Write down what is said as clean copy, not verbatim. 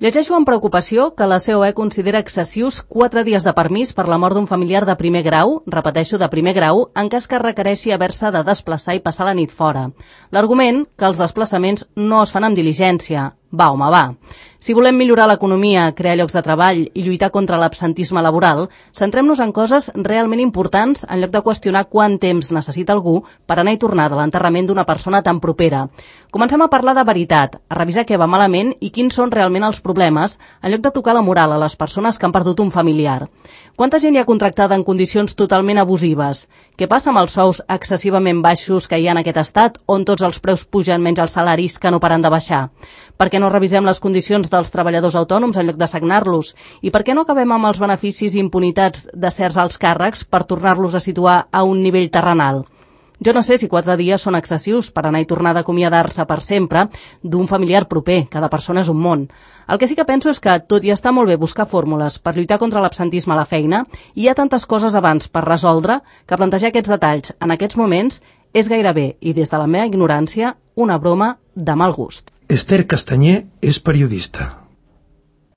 Llegeixo amb preocupació que la COE considera excessius 4 dies de permís per la mort d'un familiar de primer grau, repeteixo, de primer grau, en cas que requereixi haver-se de desplaçar i passar la nit fora. L'argument, que els desplaçaments no es fan amb diligència. Va, home, va. Si volem millorar l'economia, crear llocs de treball i lluitar contra l'absentisme laboral, centrem-nos en coses realment importants en lloc de qüestionar quant temps necessita algú per anar i tornar de l'enterrament d'una persona tan propera. Comencem a parlar de veritat, a revisar què va malament i quins són realment els problemes, en lloc de tocar la moral a les persones que han perdut un familiar. Quanta gent hi ha contractada en condicions totalment abusives? Què passa amb els sous excessivament baixos que hi ha en aquest estat, on tots els preus pugen menys els salaris que no paren de baixar? Per què no revisem les condicions dels treballadors autònoms en lloc de sagnar-los? I per què no acabem amb els beneficis i impunitats de certs alts càrrecs per tornar-los a situar a un nivell terrenal? Jo no sé si 4 dies són excessius per anar i tornar d'acomiadar-se per sempre d'un familiar proper. Cada persona és un món. El que sí que penso és que, tot i estar molt bé buscar fórmules per lluitar contra l'absentisme a la feina, hi ha tantes coses abans per resoldre que plantejar aquests detalls en aquests moments és gairebé, i des de la meva ignorància, una broma de mal gust. Esther Castanyer és periodista.